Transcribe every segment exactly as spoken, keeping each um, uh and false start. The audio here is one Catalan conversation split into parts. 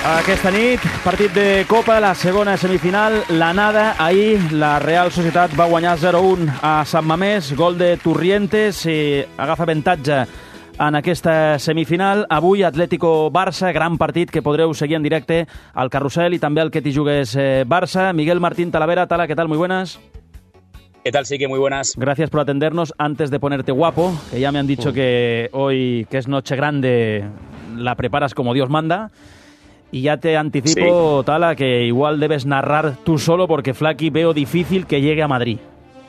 Aquesta nit, partit de Copa, la segona semifinal, l'anada. Ahir la Real Societat va guanyar zero a un a Sant Mamés, gol de Turrientes, i agafa avantatge en aquesta semifinal. Avui, Atlético-Barça, gran partit que podreu seguir en directe al Carrusel i també al Que t'hi jugues Barça. Miguel Martín Talavera, Tala, ¿qué tal? Muy buenas. ¿Qué tal, Sique? Muy buenas. Gracias por atendernos. Antes de ponerte guapo, que ya me han dicho uh. que hoy, que es noche grande, la preparas como Dios manda. Y ya te anticipo, sí. Tala, que igual debes narrar tú solo porque Flaky veo difícil que llegue a Madrid.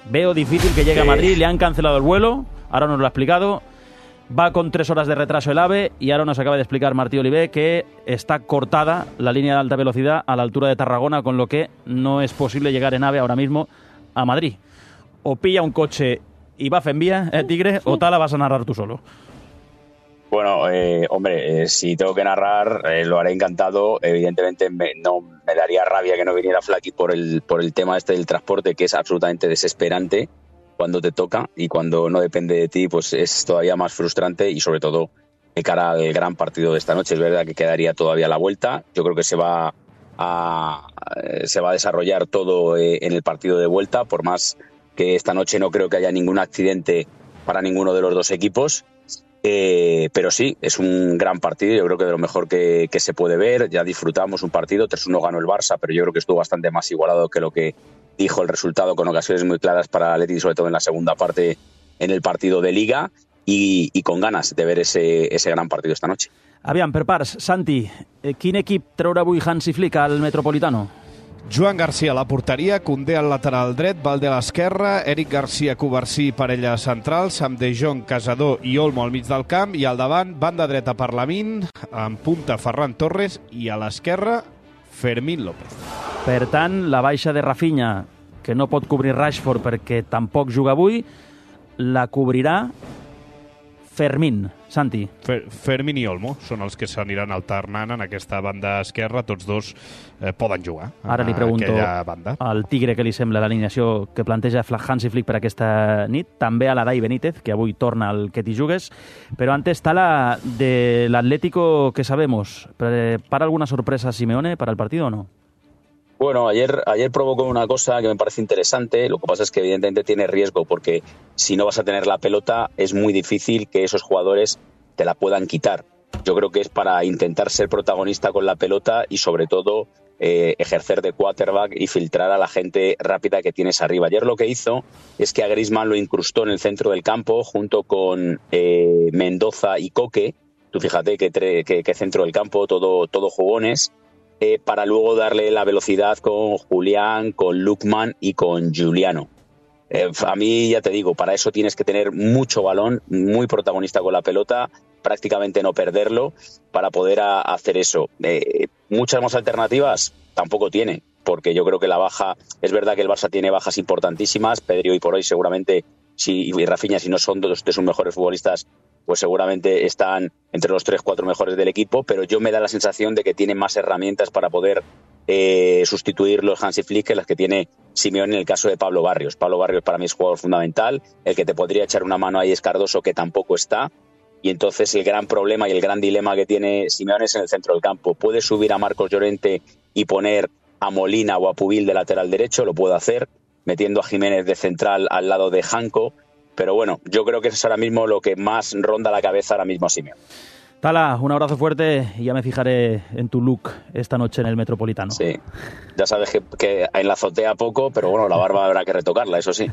Veo difícil que llegue sí. a Madrid, le han cancelado el vuelo, ahora nos lo ha explicado. Va con tres horas de retraso el AVE y ahora nos acaba de explicar Martí Olivé que está cortada la línea de alta velocidad a la altura de Tarragona, con lo que no es posible llegar en AVE ahora mismo a Madrid. O pilla un coche y va en vía, ¿eh, Tigre? O Tala, vas a narrar tú solo. Bueno, eh, hombre, eh, si tengo que narrar, eh, lo haré encantado. Evidentemente me, no, me daría rabia que no viniera Flaky por el, por el tema este del transporte, que es absolutamente desesperante cuando te toca, y cuando no depende de ti, pues es todavía más frustrante, y sobre todo de cara al gran partido de esta noche. Es verdad que quedaría todavía la vuelta. Yo creo que se va a, se va a desarrollar todo eh, en el partido de vuelta, por más que esta noche no creo que haya ningún accidente para ninguno de los dos equipos. Eh, pero sí, es un gran partido, yo creo que de lo mejor que, que se puede ver. Ya disfrutamos un partido, tres uno ganó el Barça, pero yo creo que estuvo bastante más igualado que lo que dijo el resultado, con ocasiones muy claras para el Atleti, sobre todo en la segunda parte en el partido de Liga, y, y con ganas de ver ese, ese gran partido esta noche. Aviam, per parts, Santi, quin equip traurà avui Hansi Flick al Metropolitano? Joan Garcia a la porteria, Koundé al lateral dret, Valde a l'esquerra, Eric Garcia, Covarsí, parella central, Sam De Jong, Casador i Olmo al mig del camp, i al davant, banda dreta per Lamine, en punta Ferran Torres, i a l'esquerra, Fermín López. Per tant, la baixa de Rafinha, que no pot cobrir Rashford perquè tampoc juga avui, la cobrirà Fermín. Santi. Fer, Fermín i Olmo són els que s'aniran alternant en aquesta banda esquerra. Tots dos eh, poden jugar. Ara li pregunto al Tigre què li sembla l'alineació que planteja Hansi Flick per aquesta nit. També a l'Adai Benítez, que avui torna al Que t'hi jugues. Però antes está la de l'Atlético que sabemos. ¿Para alguna sorpresa Simeone para el partido o no? Bueno, ayer, ayer provocó una cosa que me parece interesante. Lo que pasa es que evidentemente tiene riesgo, porque si no vas a tener la pelota es muy difícil que esos jugadores te la puedan quitar. Yo creo que es para intentar ser protagonista con la pelota y sobre todo eh, ejercer de quarterback y filtrar a la gente rápida que tienes arriba. Ayer lo que hizo es que a Griezmann lo incrustó en el centro del campo junto con eh, Mendoza y Coque. Tú fíjate que, que, que centro del campo, todo, todo jugones. Eh, para luego darle la velocidad con Julián, con Lukman y con Giuliano. Eh, a mí, ya te digo, para eso tienes que tener mucho balón, muy protagonista con la pelota, prácticamente no perderlo, para poder a, hacer eso. Eh, muchas más alternativas tampoco tiene, porque yo creo que la baja, es verdad que el Barça tiene bajas importantísimas. Pedri hoy por hoy seguramente, si, y Rafinha, si no son dos de sus mejores futbolistas, pues seguramente están entre los tres, cuatro mejores del equipo, pero yo me da la sensación de que tienen más herramientas para poder eh, sustituir los Hansi Flick que las que tiene Simeone en el caso de Pablo Barrios. Pablo Barrios para mí es jugador fundamental, el que te podría echar una mano ahí es Cardoso, que tampoco está, y entonces el gran problema y el gran dilema que tiene Simeone es en el centro del campo. Puede subir a Marcos Llorente y poner a Molina o a Pubil de lateral derecho, lo puede hacer, metiendo a Jiménez de central al lado de Janko. Pero bueno, yo creo que eso es ahora mismo lo que más ronda la cabeza ahora mismo a Simeone. Tala, un abrazo fuerte y ya me fijaré en tu look esta noche en el Metropolitano. Sí, ya sabes que, que en la azotea poco, pero bueno, la barba habrá que retocarla, eso sí.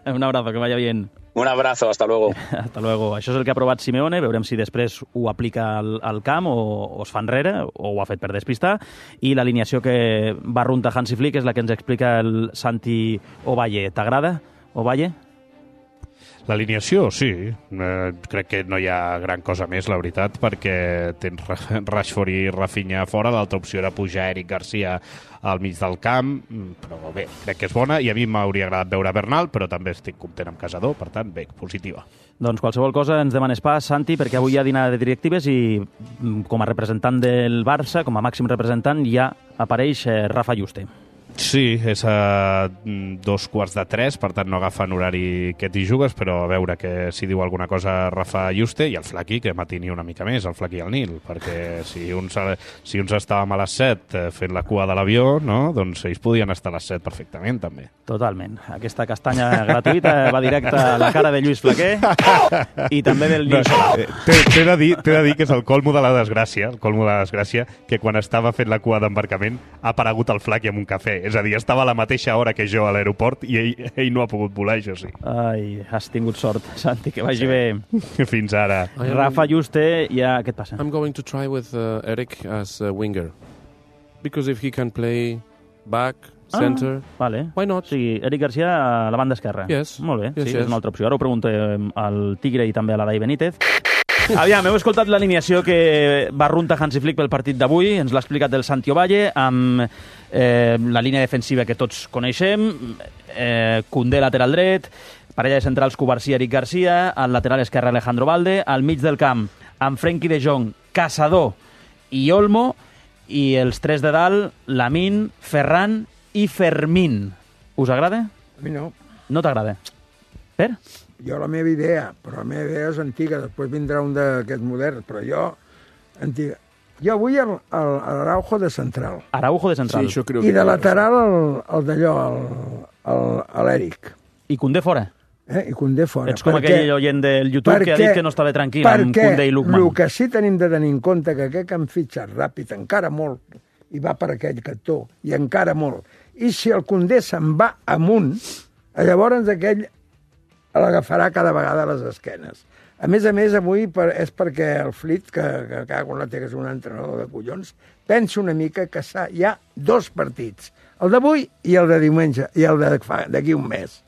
Un abrazo, que vaya bien. Un abrazo, hasta luego. Hasta luego. Això és el que ha aprovat Simeone, veurem si després ho aplica al, al camp o, o es fa enrere, o ho ha fet per despistar, i l'alineació que va runtar Hansi Flick és la que ens explica el Santi Ovalle. T'agrada, Ovalle? L'alineació, sí. Eh, crec que no hi ha gran cosa més, la veritat, perquè tens Rashford i Rafinha fora. L'altra opció era pujar Eric Garcia al mig del camp, però bé, crec que és bona, i a mi m'hauria agradat veure Bernal, però també estic content amb Casador, per tant, bé, positiva. Doncs qualsevol cosa ens demanes pas, Santi, perquè avui hi ha dinar de directives i com a representant del Barça, com a màxim representant, ja apareix Rafa Juste. Sí, és a dos quarts de tres, per tant no agafen horari que t'hi jugues, però a veure que si diu alguna cosa Rafa Yuste i el Flaqui, que matini una mica més, el Flaqui i el Nil, perquè si uns, si uns estàvem a les set fent la cua de l'avió, no? Doncs ells podien estar a les set perfectament, també. Totalment. Aquesta castanya gratuïta va directa a la cara de Lluís Flaquer i també del Nil Solà. T'he de, dir, de dir que és el colmo de la desgràcia, el colmo de la desgràcia, que quan estava fent la cua d'embarcament ha aparegut el Flaqui amb un cafè. És a dir, estava a la mateixa hora que jo a l'aeroport i ell, ell no ha pogut volar, això sí. Ai, has tingut sort, Santi, que vagi sí. bé. Fins ara. Rafa Yuste, ja... Què et passa? I'm going to try with uh, Eric as a winger. Because if he can play back, center... Ah, vale. Why not? O sigui, Eric Garcia a la banda esquerra. Yes. Molt bé, yes, sí, yes. és una altra opció. Ara ho pregunto al Tigre i també a la Dai Benítez. Aviam, heu escoltat l'alineació que va runta Hansi Flick pel partit d'avui, ens l'ha explicat el Santi Ovalle, amb eh, la línia defensiva que tots coneixem, eh, Koundé lateral dret, parella de centrals Cubarsí i Eric Garcia, al lateral esquerre Alejandro Balde, al mig del camp amb Frenkie de Jong, Caçador i Olmo, i els tres de dalt, Lamine, Ferran i Fermín. Us agrada? A mi no. No t'agrada? Per? Jo la meva idea, però la meva idea és antiga, després vindrà un d'aquests moderns, però jo, antiga. Jo vull el, el, l'Araujo de central. Araujo de central. Sí, creo I que de lateral el, el d'allò, l'Eric. I Koundé fora. Eh? I Koundé fora. Ets com perquè, aquell oient del YouTube perquè, que ha dit que no estava tranquil amb Koundé i Lukman. Perquè el que sí tenim de tenir en compte que aquest que han fitxat ràpid, encara molt, i va per aquell cantó, i encara molt. I si el Koundé se'n va amunt, llavors aquell l'agafarà cada vegada a les esquenes. A més a més, avui per, és perquè el Flick, que, que cago en la té, que és un entrenador de collons, pensa una mica que hi ha dos partits, el d'avui i el de diumenge, i el d'aquí un mes.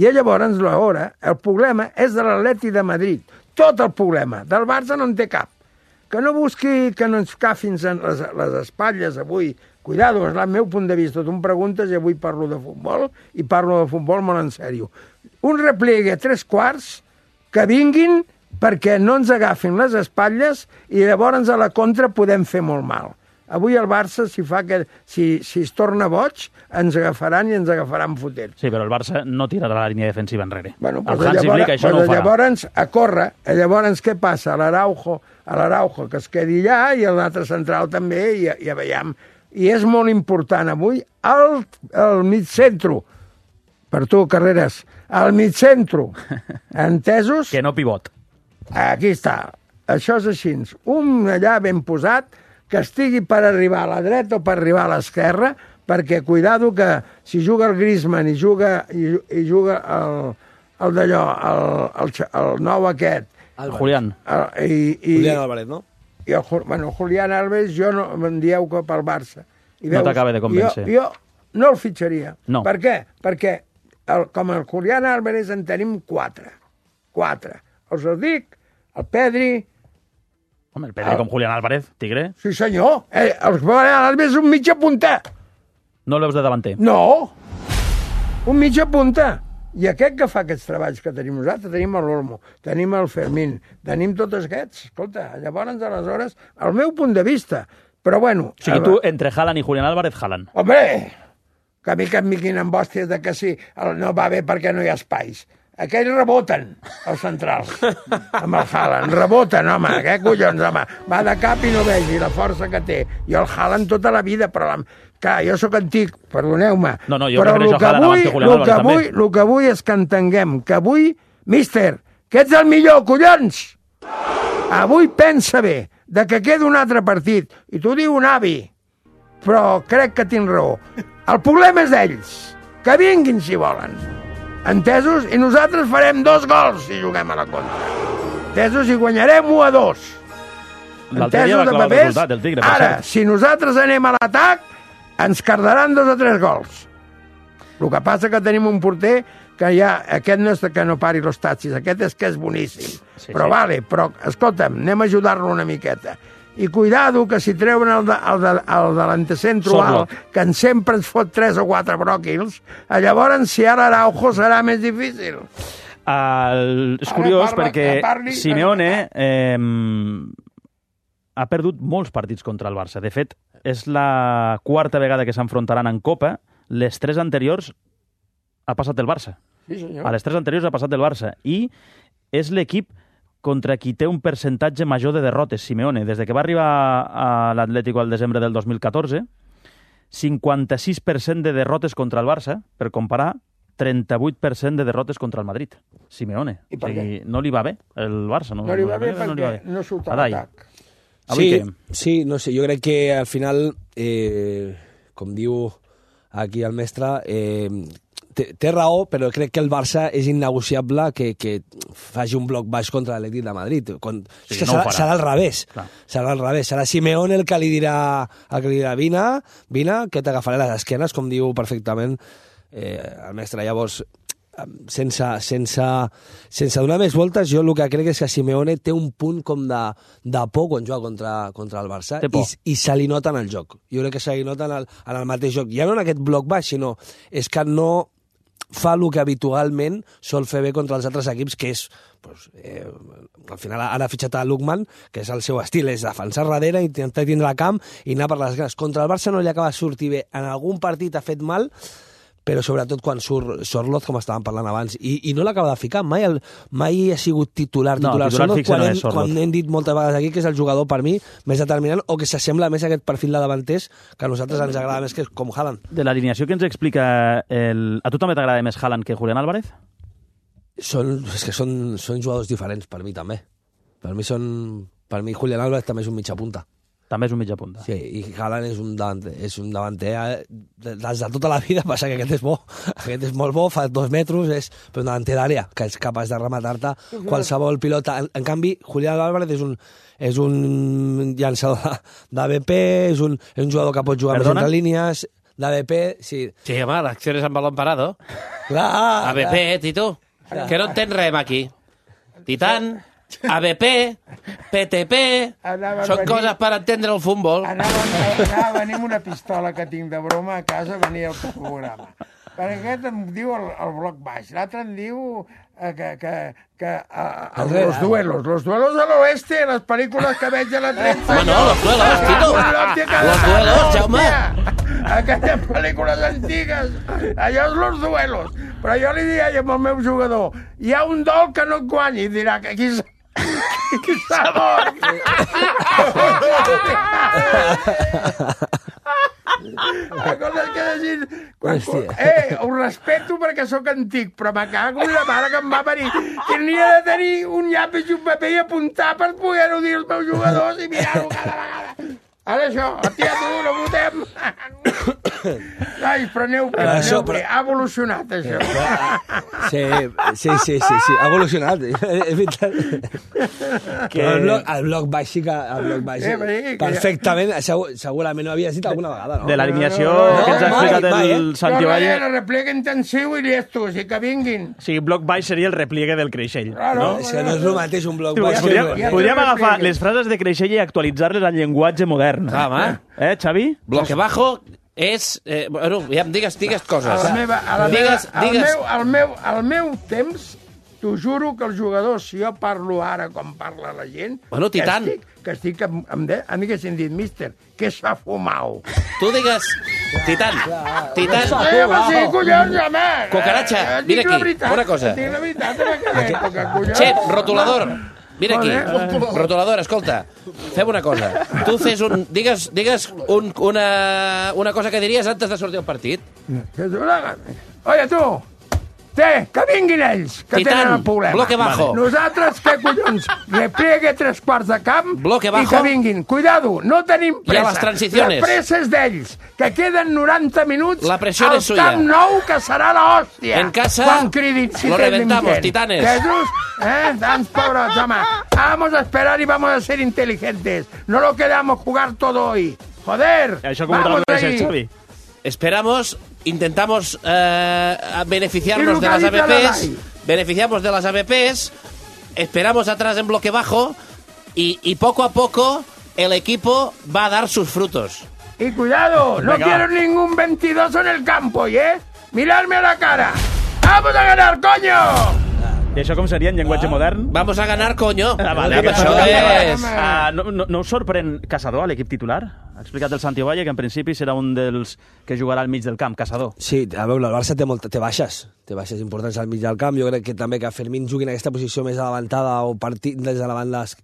I llavors, l'hora, el problema és de l'Atleti de Madrid. Tot el problema. Del Barça no en té cap. Que no busqui que no ens cafin les, les espatlles avui. Cuidado, és el meu punt de vista. Tu em preguntes i avui parlo de futbol i parlo de futbol molt en sèrio. Un repliegue a tres quarts que vinguin perquè no ens agafin les espatlles i llavors a la contra podem fer molt mal. Avui el Barça, si, fa que, si, si es torna boig, ens agafaran i ens agafaran fotent. Sí, però el Barça no tirarà la línia defensiva enrere. Bueno, el Hansi Flick això no ho farà. Llavors, a córrer, llavors què passa? A l'Araujo, a l'Araujo que es quedi allà i l'altre central també, i ja veiem. I és molt important avui el, el mig centro. Per tu, Carreras, al mig centro. Entesos? Que no pivot. Aquí està. Això és així. Un allà ben posat que estigui per arribar a la dreta o per arribar a l'esquerra, perquè cuidado que si juga el Griezmann i juga, i, i juga el, el d'allò, el, el, el nou aquest... El Julián. El, i, i, Julián Álvarez, no? I el, bueno, Julián Álvarez, jo no me'n dieu que pel Barça. I no t'acaba de convèncer. Jo, jo no el fitxaria. No. Per què? Perquè el, com el Julián Álvarez en tenim quatre. Quatre. Els ho dic, el Pedri... Home, el Pedri el... com Julián Álvarez, Tigre. Sí, senyor. Eh, el Julián Álvarez és un mitja punta. No l'heus de davanter. No. Un mitja punta. I aquest que fa aquests treballs que tenim nosaltres, tenim l'Olmo, tenim el Fermín, tenim tots aquests. Escolta, llavors, aleshores, el meu punt de vista. Però bueno... O sigui, tu, entre Haaland i Julián Álvarez, Haaland. Hombre, que a mi que em miquin amb hòsties de que sí, no va bé perquè no hi ha espais. Aquells reboten, els centrals, amb el Haaland. Reboten, home, què collons, home. Va de cap i no vegi la força que té. I el Haaland tota la vida, però... La... Clar, jo sóc antic, perdoneu-me. No, no, jo però prefereixo Haaland abans que Julián Álvarez, també. El que vull és que entenguem que avui, míster, que ets el millor, collons! Avui pensa bé, de que queda un altre partit. I t'ho diu un avi, però crec que tinc raó. El problema és d'ells, que vinguin si volen. Entesos? I nosaltres farem dos gols si juguem a la contra. Entesos? I guanyarem u a dos. L'altre dia va clavar el resultat del Tigre. Ara, si nosaltres anem a l'atac, ens cardaran dos o tres gols. El que passa que tenim un porter que ja, aquest no és que no pari los taxis, aquest és que és boníssim. Sí, però sí. Vale, però escolta'm, anem a ajudar-lo una miqueta. I cuidado que si treuen el, de, el, de, el de l'antecentro alt, que en sempre ens fot tres o quatre bròquils, llavors si ara Araujo serà més difícil. El... És curiós parla, perquè parli, Simeone eh, ha perdut molts partits contra el Barça. De fet, és la quarta vegada que s'enfrontaran en Copa. les tres anteriors ha passat el Barça. Sí, senyor. A les tres anteriors ha passat el Barça. I és l'equip contra qui té un percentatge major de derrotes, Simeone. Des de que va arribar a l'Atlético al desembre del dos mil catorze, cinquanta-sis per cent de derrotes contra el Barça, per comparar, trenta-vuit per cent de derrotes contra el Madrid. Simeone. I per o sigui, què? no li va bé el Barça. No, No li va bé no li va perquè no surt a Adai. l'atac. Avui Sí, què? sí, no sé, jo crec que al final, eh, com diu aquí el mestre, eh, té, té raó, però crec que el Barça és innegociable que, que faci un bloc baix contra l'Atlètic de Madrid. Quan, Sí, és que no ho serà, farà. serà al revés. Clar. Serà al revés. Serà Simeone el que li dirà, el que li dirà vine, vine, que t'agafaré les esquenes, com diu perfectament eh, el mestre. Llavors, sense, sense, sense donar més voltes, jo el que crec és que Simeone té un punt com de, de por quan juga contra, contra el Barça Té por. i, i se li nota en el joc. Jo crec que se li nota en el, en el mateix joc. Ja no en aquest bloc baix, sinó és que no fa el que habitualment sol fer bé contra els altres equips, que és, pues, eh, al final ara ha fitxat a Lookman, que és el seu estil, és defensar darrere, intentar tindre el camp i anar per les grans. Contra el Barça no li acaba de sortir bé. En algun partit ha fet mal, però sobretot quan surt Sorloth, com estàvem parlant abans, i, i no l'acaba de ficar, mai, el, mai ha sigut titular, No, titular, titular Sorloth, fixe quan, no hem, és Sorloth. quan hem dit moltes vegades aquí que és el jugador per mi més determinant, o que s'assembla més a aquest perfil de davanters que a nosaltres ens agrada més que com Haaland. De l'alineació que ens explica... El... A tu també t'agrada més Haaland que Julián Álvarez? Són, és que són, són jugadors diferents, per mi també. Per mi són... Per mi Julián Álvarez també és un mitja punta. També és un mitja punta. Sí, i Haaland és un davanter, és un davanter eh, des de tota la vida, passa que aquest és bo. Aquest és molt bo, fa dos metres, és però un davanter d'àrea, que és capaç de rematar-te qualsevol pilota. En, en canvi, Julián Álvarez és un, és un llançador d'A B P, és un, és un jugador que pot jugar Perdona? més entre línies, d'A B P, sí. Sí, home, l'acció és amb balón parado. Clar, A B P, Tito. Que no entens res aquí. Titan, A B P, P T P... Anava a Són venir- coses per entendre el futbol. Anava, anava a venir amb una pistola que tinc de broma a casa, venia al programa. Perquè aquest em diu el, el bloc baix, l'altre em diu eh, que, que, que eh, els, los duelos, los duelos de l'oeste, les pel·lícules que veig a la trenta. Home, no, los duelos, Tito. Los duelos, Jaume. Aquelles pel·lícules antigues, allò és los duelos. Però jo li deia al meu jugador, hi ha un dol que no et guanyi, i dirà que aquí... Qui s'ha mort? La cosa és que decir... Quan, eh, ho respeto perquè sóc antic, però me cago en la mare que em va venir. Tenia de tenir un llapis i un paper i apuntar per poder-ho dir als meus jugadors i mirar-ho cada vegada. Ara això, tia, tu, no votem. Ai, preneu, preneu, això, però... ha evolucionat, això. Sí, sí, sí, sí, sí. Ha evolucionat. És veritat. Que... El, bloc, el bloc baix sí que... El bloc baix, Eh, però sí, que perfectament, segur, segurament no havia dit alguna vegada, no? De l'alineació No, no, no, que ens ha mai, explicat mai, el eh? Santi Jo Valle... el repliegue intensiu i llestos, i que vinguin. O sigui, bloc baix seria el repliegue del Creixell. Claro. No? És que no és el mateix un bloc baix. Podríem, ja podríem te agafar repliegue. les frases de Creixell i actualitzar-les al llenguatge modern. Ah, home. Eh, Xavi? Bloque bajo és... Eh, bueno, ja em digues, digues coses. A la meva, a la digues, meva, al, digues... meu, al, meu, al meu temps, t'ho juro que els jugadors, si jo parlo ara com parla la gent... Bueno, Titan. Que estic, que estic amb, amb de, em haguessin dit, míster, què s'ha fumat? Tu digues... Titan, Titan... Eh, home, sí, collons, home! Cucaracha, Eh, vine dic la aquí, veritat, una cosa. Dic la veritat, en aquella època, collons. Xep, rotulador. Vine aquí. Joder. Rotulador, escolta. Fem una cosa. Tu fes un... Digues, digues un, una, una cosa que diries antes de sortir al partit. Que tu la- Oye, tu! Té, que vinguin ells, que Titan, tenen el problema. bloque bajo. Nosaltres, què collons? Repliegue tres quarts de camp Bloque i bajo. que vinguin. Cuidado, no tenim I a pressa. les transiciones. La pressa és d'ells, que queden noranta minuts La presión al es suya. Camp Nou, que serà la hòstia. En casa, quan cridin, si lo tenen reventamos, gent. titanes. Jesús, eh, tants pobres, home. Vamos a esperar y vamos a ser inteligentes. No lo quedamos jugar todo hoy. Joder, Això com ho vamos tradueixes, ahí. Xavi? Esperamos, intentamos eh, beneficiarnos Y de las A B localiza la Ps, D A I. beneficiamos de las A B Ps, esperamos atrás en bloque bajo y, y poco a poco el equipo va a dar sus frutos. Y cuidado, no Venga. quiero ningún veintidós en el campo, ¿eh? Miradme a la cara. ¡Vamos a ganar, coño! I això com seria en llenguatge Ah, modern? Vamos a ganar, coño. Ah, vale, Que això això és... Ah, no, no, no us sorprèn Caçador a l'equip titular? Ha explicat el Santi Ovalle que en principi serà un dels que jugarà al mig del camp, Caçador. Sí, a veure, el Barça té, molt, té baixes, té baixes importants al mig del camp. Jo crec que també que Fermín jugui en aquesta posició més adelantada o partit des de la banda es-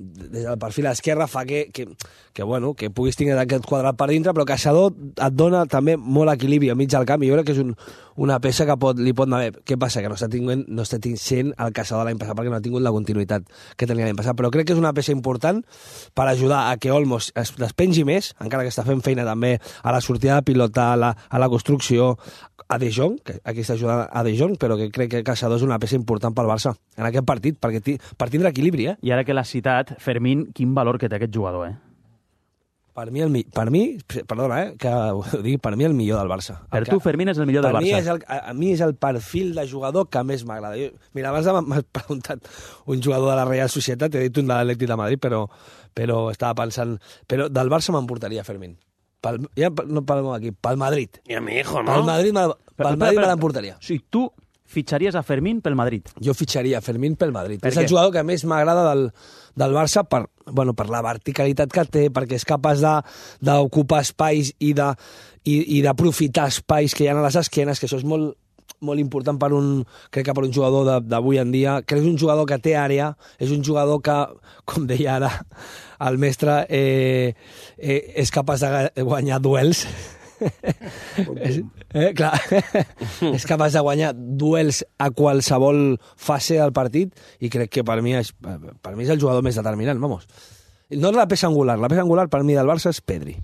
des del perfil esquerre fa que, que, que, bueno, que puguis tenir aquest quadrat per dintre, però Caçador et dona també molt equilibri al mig del camp i jo crec que és un, una peça que pot, li pot anar bé. Què passa? Que no està tinguent, no està sent el Caçador l'any passat perquè no ha tingut la continuïtat que tenia l'any passat, però crec que és una peça important per ajudar a que Olmos es despengi més, encara que està fent feina també a la sortida de pilota, a la, a la construcció, a De Jong, que aquí està ajudant a De Jong, però que crec que Caçador és una peça important pel Barça en aquest partit, perquè ti, per tindre equilibri, eh? I ara que l'has citat, Fermín, quin valor que té aquest jugador, eh? Per mi, el, mi- per mi, perdona, eh, que ho digui, per mi el millor del Barça. Per El tu, que- Fermín és el millor del per mi Barça. és el, a, a mi és el perfil de jugador que més m'agrada. Jo- Mira, abans m'ha- m'has preguntat un jugador de la Real Societat, t'he dit un de l'Atlètic de Madrid, però, però estava pensant... Però del Barça m'emportaria Fermín. Pel, ja no parlem aquí, pel Madrid. Y a mi hijo, Pel ¿no? Madrid, me- Però, pel espera, Madrid me espera. l'emportaria. O sigui, tu fitxaries a Fermín pel Madrid. Jo fitxaria Fermín pel Madrid. Per és què? el jugador que més m'agrada del, del Barça per, bueno, per la verticalitat que té, perquè és capaç de- d'ocupar espais i de i, i d'aprofitar espais que hi ha a les esquenes, que això és molt, molt important per un, crec que per un jugador de- d'avui en dia. Crec que és un jugador que té àrea, és un jugador que, com deia ara el mestre, eh, eh, és capaç de ga- guanyar duels. és, eh, clar, és capaç de guanyar duels a qualsevol fase del partit i crec que per mi és, per mi és el jugador més determinant, vamos. No és la peça angular, la peça angular per mi del Barça és Pedri.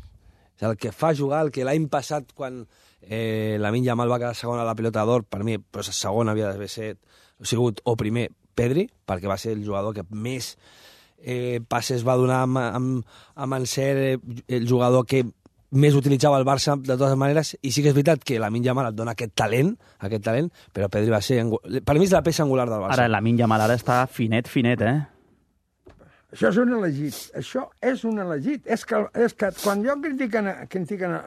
És el que fa jugar, el que l'any passat quan eh, Lamine Yamal va quedar segon a la Pilota d'Or, per mi pues, segon havia d'haver set, sigut o primer Pedri, perquè va ser el jugador que més eh, passes va donar amb, amb, amb en ser eh, el jugador que més utilitzava el Barça de totes maneres, i sí que és veritat que Lamine Yamal et dona aquest talent, aquest talent, però Pedri va ser... angu- Per mi és la peça angular del Barça. Ara, la Lamine Yamal ara està finet, finet, eh? Això és un elegit. Això és un elegit. És que, és que quan jo critiquen... a- critiquen a,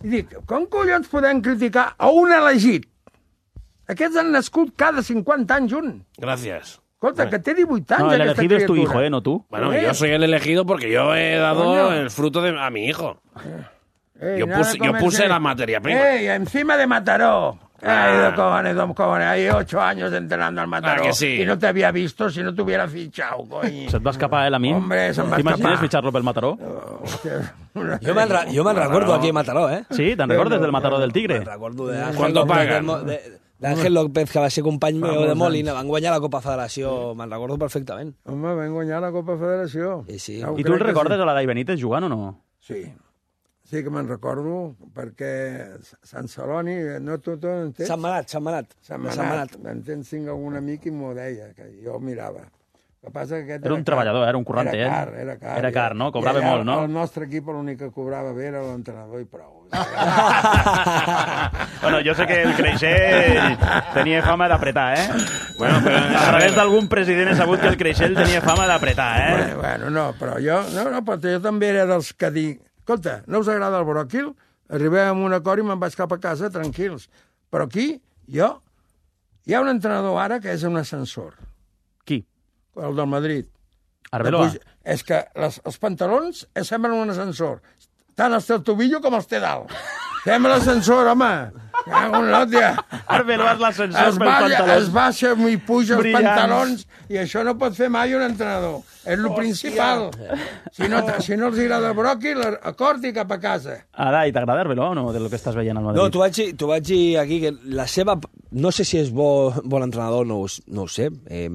i dic, com collons podem criticar a un elegit? Aquests han nascut cada cinquanta anys un. Gracias. Escolta, que té divuit anys, No, el aquesta elegido es tu criatura. hijo, ¿eh? No tú. Bueno, Eh. yo soy el elegido porque yo he dado Coño. el fruto de a mi hijo. Ey, Yo nada puse- como yo puse ese- la materia prima. ¡Ey, encima de Mataró! Ah. Ay, de cojones, de cojones. Hay ocho años entrenando al Mataró. Ah, que sí. Y no te había visto si no te hubiera fichado, coño. Se't va escapar, eh, Lamine? Hombre, se'm va T'imagines escapar. fitxar-lo pel Mataró? Hòstia, una- Jo me'n re, jo me'n recordo aquí a Mataró, eh? Sí, te'n recordes del Mataró del Tigre? Me'n recordo d'Àngel ¿Cuánto López pagan? de Mo- de- d'Àngel López, que va ser company meu molts de Molina, van guanyar la Copa Federació, me'n recordo perfectament. Home, vam guanyar la Copa Federació. Sí, sí. Ja ho I tu crec el que recordes a la Dai Benítez jugant o no? Sí. Sí que me'n recordo, perquè Sant Celoni, no tu, tu no entens? Sant Manat, Sant Manat. Sant De Manat. M'entens, tinc algun amic i m'ho deia, que jo mirava. El que passa que aquest Era un treballador, era un currante, era eh? car, era car. Era car, no? Cobrava I allà molt, no? El nostre equip l'únic que cobrava bé era l'entrenador i prou. Bueno, jo sé que el Creixell tenia fama d'apretar, eh? Bueno, pero... A través d'algun president he sabut que el Creixell tenia fama d'apretar, eh? Bueno, bueno, no, però jo, no, no, però jo també era dels que dic, escolta, no us agrada el bròquil? Arribem a un acord i me'n vaig cap a casa tranquils. Però aquí, jo, hi ha un entrenador ara que és un ascensor, Qui? el del Madrid. Arbeloa? Puig- És que les, els pantalons eh, semblen un ascensor. Tant els té el tobillo com els té dalt. Sembla l'ascensor, home. Cago en l'òtia. Arbeloa és l'ascensor Es, pel balla, pantaló. es baixa i puja els Brillants. pantalons i això no pot fer mai un entrenador. És el principal. Si no, si no els agrada el bròquil, acord i cap a casa. Ara, i t'agrada Arbeloa o no, de lo que estàs veient al Madrid? No, t'ho vaig, dir- t'ho vaig dir aquí, que la seva... No sé si és bo, bon entrenador, no, ho s- no ho sé. Eh,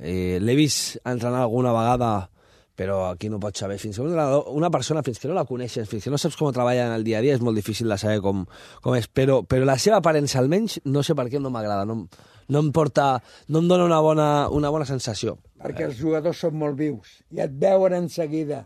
eh, L'he vist entrenar alguna vegada, però aquí no pots saber. Fins que un entrenador, una persona, fins que no la coneixes, fins que no saps com treballa en el dia a dia, és molt difícil de saber com, com és. Però, però la seva aparença, almenys, no sé per què no m'agrada. No, em- no em porta... No em dona una bona, una bona sensació. Perquè els jugadors són molt vius i et veuen en seguida.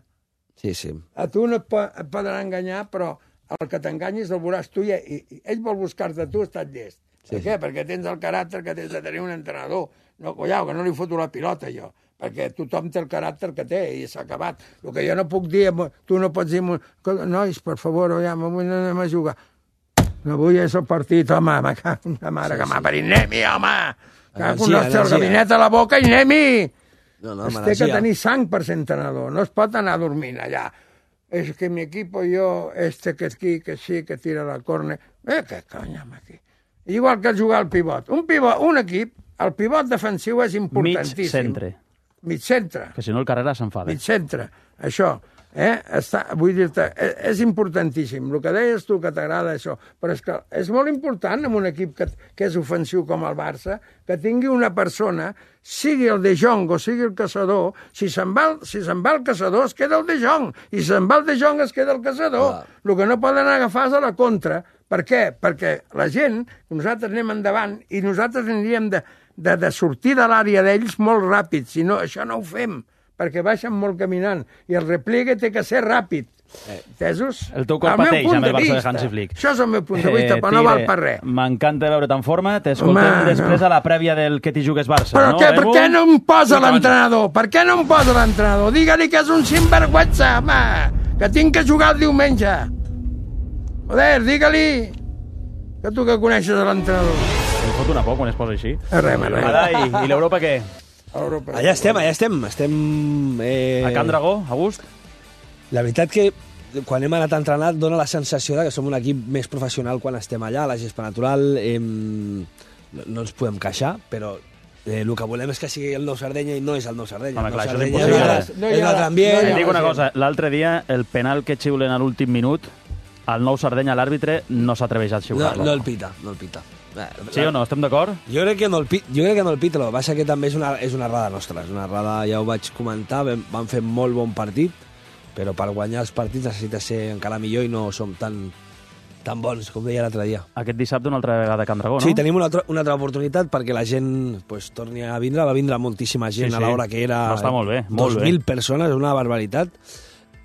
Sí, sí. A tu no et, po et poden enganyar, però el que t'enganyis el veuràs tu i, i, i ell vol buscar-te a tu, estàs llest. Sí, per què? Sí. Perquè tens el caràcter que tens de tenir un entrenador. No, collao, que no li foto la pilota, jo. Perquè tothom té el caràcter que té i s'ha acabat. El que jo no puc dir, tu no pots dir... Nois, per favor, ja, avui no anem a jugar. No vull és el partit, home, ma, ma mare sí, que m'ha parit Nemi, home! Cago en el nostre gabinet a la boca i anem-hi! No, no, es té que tenir sang per ser entrenador, no es pot anar dormint allà. És que mi equipo jo, este que aquí, que sí, que tira la córner... Eh, què conyam aquí? Igual que jugar al pivot. Un pivot, un equip, el pivot defensiu és importantíssim. Mig centre. Mig centre. Que si no el Carrera s'enfada. Mig centre, això. Eh? Està, vull dir-te, és importantíssim. El que deies tu, que t'agrada això, però és que és molt important en un equip que, que és ofensiu com el Barça, que tingui una persona, sigui el De Jong o sigui el caçador, si se'n va, si se'n va el caçador es queda el De Jong, i si se'n va el De Jong es queda el caçador. Ah. El que no poden agafar és a la contra. Per què? Perquè la gent, nosaltres anem endavant i nosaltres aniríem de, de, de sortir de l'àrea d'ells molt ràpid, si no, això no ho fem, perquè baixen molt caminant, i el repliegue té que ser ràpid. Entesos? El teu cor pateix amb el Barça de Hansi Flick. Això és el meu punt de vista, eh, però no val per res. M'encanta veure't en forma. T'escoltem després a la prèvia del que t'hi jugues Barça. Però no, què, per què no em posa l'entrenador? Per què no em posa l'entrenador? Digue-li que és un sinvergüenza, home, que tinc que jugar el diumenge. Joder, digue-li que tu que coneixes l'entrenador. Em fot una por quan es posa així. Res, res. Adai, i l'Europa què? Europa. Allà estem, allà estem. Estem... Eh... A Can Dragó, a gust? La veritat que quan hem anat a entrenar dona la sensació de que som un equip més professional quan estem allà, la gespa natural, eh, no, no ens podem queixar, però eh, el que volem és que sigui el Nou Sardenya i no és el Nou Sardenya. Home, el clar, Nou això és Sardenya impossible. és, no és un altre ambient. Et dic una cosa, l'altre dia el penal que xiulen a l'últim minut, al Nou Sardenya l'àrbitre no s'atreveix a No, xiular-lo. no el pita, no el pita. Sí o no? Estem d'acord? Jo crec que no el pita, jo crec que no el pita, el que passa que també és una, és una errada nostra, és una errada, ja ho vaig comentar, vam, vam fer molt bon partit, però per guanyar els partits necessita ser encara millor i no som tan, tan bons, com deia l'altre dia. Aquest dissabte una altra vegada a Can Dragó, no? Sí, tenim una altra, una altra oportunitat perquè la gent pues, torni a vindre, va vindre moltíssima gent Sí, sí. a l'hora que era... No, està molt bé, molt dos bé. mil persones, una barbaritat.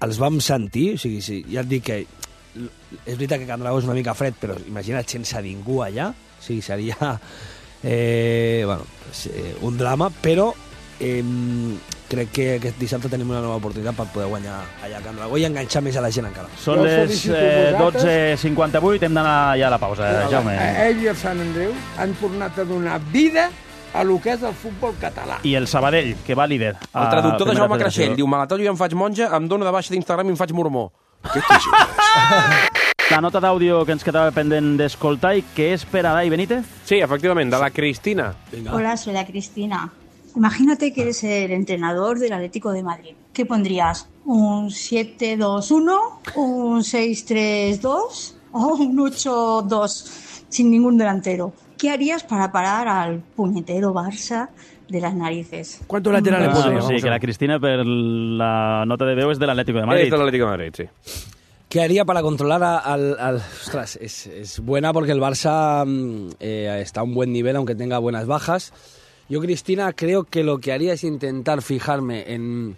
Els vam sentir, o sigui, sí, ja et dic que és veritat que Can Dragó és una mica fred, però imagina't sense ningú allà, o sigui, seria eh, bueno, eh, un drama, però eh, crec que aquest dissabte tenim una nova oportunitat per poder guanyar allà a Can Dragó i enganxar més a la gent encara. Són les eh, dotze cinquanta-vuit, hem d'anar ja a la pausa, eh, Jaume. Ell i el Sant Andreu han tornat a donar vida a lo que és el futbol català. I el Sabadell, que va líder. El traductor de Jaume Creixell diu: me la tallo i em faig monja, em dono de baixa d'Instagram i em faig mormó. Què t'hi jugues? La nota d'àudio que ens quedava pendent d'escoltar i que és per Adai Benítez? Sí, efectivament, de la Cristina. Venga. Hola, soy la Cristina. Imagínate que eres el entrenador del Atlético de Madrid. ¿Qué pondrías? ¿Un siete dos uno? ¿Un seis tres dos? ¿O un ocho dos sin ningún delantero? ¿Qué harías para parar al puñetero Barça de las narices? ¿Cuántos laterales Ah, pondríamos? sí, que la Cristina per la nota de veu és de l'Atlético de Madrid. Es del Atlético de Madrid, sí. ¿Qué haría para controlar a- al... al ostras, es, es buena porque el Barça mm, eh, está a un buen nivel, aunque tenga buenas bajas. Yo, Cristina, creo que lo que haría es intentar fijarme en,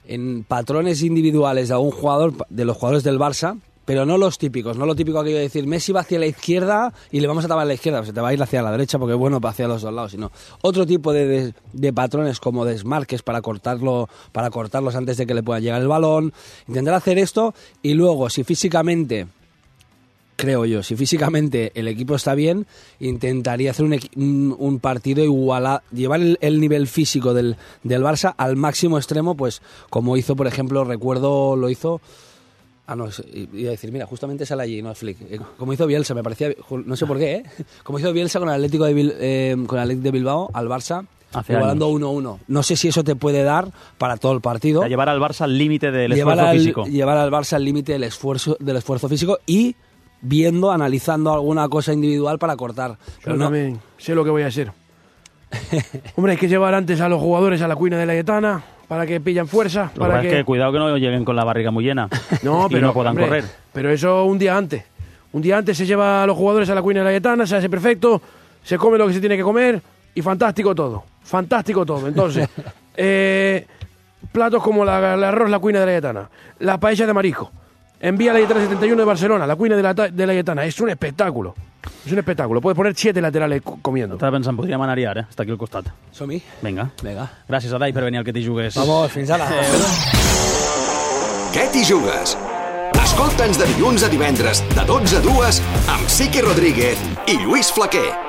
en patrones individuales de algún jugador, de los jugadores del Barça, pero no los típicos, no lo típico que yo decir, Messi va hacia la izquierda y le vamos a tapar a la izquierda, pues se te va a ir hacia la derecha porque es bueno para hacia los dos lados, sino otro tipo de, de, de patrones como desmarques para cortarlo, para cortarlos antes de que le pueda llegar el balón, intentar hacer esto y luego si físicamente, creo yo, si físicamente el equipo está bien, intentaría hacer un, equi- un, un partido igual llevar el, el nivel físico del, del Barça al máximo extremo, pues como hizo, por ejemplo, recuerdo, lo hizo... Ah, no, es- iba a decir, mira, justamente sale allí, no es Flick. Eh, Como hizo Bielsa, me parecía, no sé por qué, ¿eh? Como hizo Bielsa con el Atlético de, Bil- eh, con el Atlético de Bilbao al Barça, Hace igualando años. uno uno. No sé si eso te puede dar para todo el partido. A llevar al Barça al límite del Llevar esfuerzo al, físico. llevar al Barça al límite del esfuerzo, del esfuerzo físico y viendo, analizando alguna cosa individual para cortar. Pero Yo no, también sé lo que voy a hacer. Hombre, hay que llevar antes a los jugadores a la cuina de la Yetana para que pillan fuerza. Lo que Para pasa que... es que cuidado que no lleguen con la barriga muy llena No, y pero, no puedan hombre, correr. Pero eso un día antes. Un día antes se lleva a los jugadores a la cuina de la Yetana, se hace perfecto, se come lo que se tiene que comer y fantástico todo. Fantástico todo. Entonces, eh, platos como la, el arroz, la cuina de la Yetana, la paella de marisco. Envía a la Yetana setenta y uno de Barcelona, la cuina de la, ta- de la Yetana. Es un espectáculo. Es un espectáculo. Puedes poner siete laterales co- comiendo. Estava pensant, podríem anar-hi ara, eh? Està aquí al costat. Som-hi. Vinga. Vinga. Gràcies, Adai, per venir al que t'hi jugues. Vamos, fins ara. Què t'hi jugues? Escolta'ns de dilluns a divendres, de dotze a dues, amb Sique Rodríguez i Lluís Flaquer.